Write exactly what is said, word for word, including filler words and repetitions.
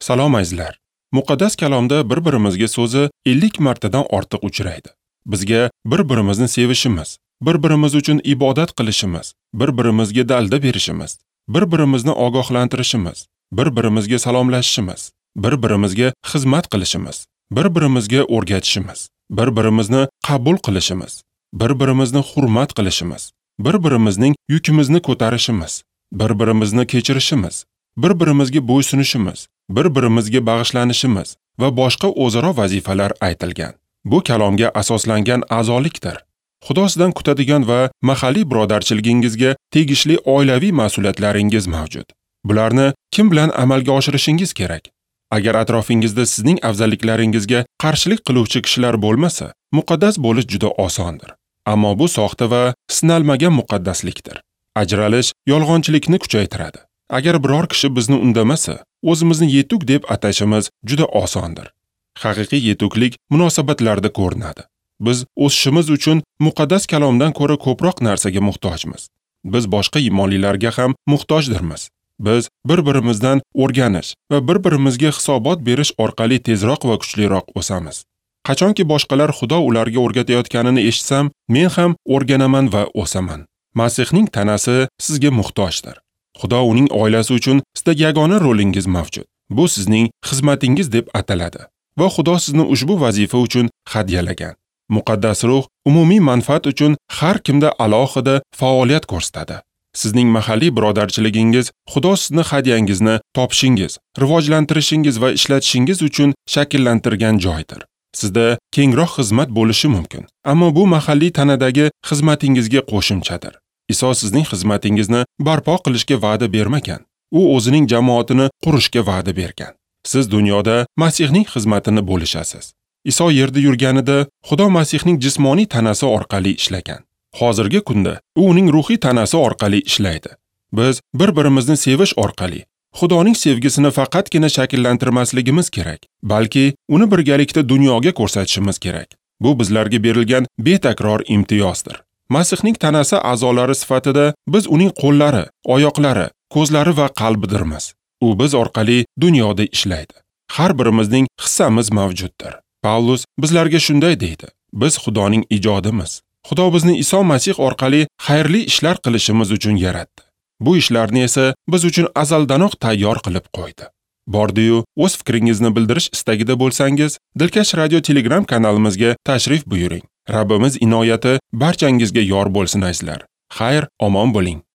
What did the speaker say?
Salom azizlar. Muqaddas kalomda bir-birimizga so'zi ellik martadan ortiq uchraydi. Bizga bir-birimizni sevishimiz, bir-birimiz uchun ibodat qilishimiz, bir-birimizga dalda berishimiz, bir-birimizni ogohlantirishimiz, bir-birimizga salomlashishimiz, bir-birimizga xizmat qilishimiz, bir-birimizga o'rgatishimiz, bir-birimizni qabul qilishimiz, bir-birimizni hurmat qilishimiz, bir-birimizning yukimizni ko'tarishimiz, bir-birimizni kechirishimiz, bir-birimizga bo'ysunishimiz, bir-birimizga bag'ishlanishimiz va boshqa o'zaro vazifalar aytilgan. Bu kalomga asoslangan a'zolikdir. Xudo sizdan kutadigan va mahalliy birodarchiligingizga tegishli oilaviy mas'uliyatlaringiz mavjud. Bularni kim bilan amalga oshirishingiz kerak? Agar atrofingizda sizning afzalliklaringizga qarshilik qiluvchi kishilar bo'lmasa, muqaddas bo'lish juda osondir. Ammo bu soxta va sinalmagan muqaddaslikdir. Ajralish yolg'onchilikni kuchaytiradi. Agar biror kishi bizni undamasa, o'zimizni yetuk deb atashimiz juda osondir. Haqiqiy yetuklik munosabatlarda ko'rinadi. Biz o'sishimiz uchun muqaddas kalomdan ko'ra ko'proq narsaga muhtojmiz. Biz boshqa iymonlilarga ham muhtojdirmiz. Biz bir-birimizdan o'rganish va bir-birimizga hisobot berish orqali tezroq va kuchliroq o'samiz. Qachonki boshqalar Xudo ularga o'rgatayotganini eshitsam, men ham o'rganaman va o'saman. Masihning tanasi sizga muhtojdir. Xudo uning oilasi uchun sizda yagona rolingiz mavjud. Bu sizning xizmatingiz deb ataladi va Xudo sizni ushbu vazifa uchun hadyalagan. Muqaddas ruh umumiy manfaat uchun har kimda alohida faoliyat ko'rsatadi. Sizning mahalliy birodarchiligingiz Xudo sizni hadyangizni topishingiz, rivojlantirishingiz va ishlatishingiz uchun shakllantirgan joydir. Sizda kengroq xizmat bo'lishi mumkin, ammo bu mahalliy tanadagi xizmatingizga qo'shimchadir. Iso sizning xizmatingizni barpo qilishga va'da bermagan. U o'zining jamoatini qurishga va'da bergan. Siz dunyoda Masihning xizmatini bo'lishasiz. Iso yerda yurganida Xudo Masihning jismoniy tanasi orqali ishlagan. Hozirgi kunda u uning ruhiy tanasi orqali ishlaydi. Biz bir-birimizni sevish orqali Xudoning sevgisini faqatgina shakllantirmasligimiz kerak, balki uni birgalikda dunyoga ko'rsatishimiz kerak. Bu bizlarga berilgan betakror imtiyozdir. Masihning tanasi a'zolari sifatida biz uning qo'llari, oyoqlari, ko'zlari va qalbidirmiz. U biz orqali dunyoda ishlaydi. Har birimizning hissamiz mavjuddir. Pavlus bizlarga shunday deydi: biz Xudoning ijodimiz. Xudo bizni Iso Masih orqali xayrli ishlar qilishimiz uchun yaratdi. Bu ishlarni esa biz uchun azaldanoq tayyor qilib qo'ydi. Bordi-yu, o'z fikringizni bildirish istagida bo'lsangiz, Dilkash Radio Telegram kanalimizga tashrif buyuring. Rabbimiz inoyati barchangizga yor bo'lsin azizlar. Xayr, omon bo'ling.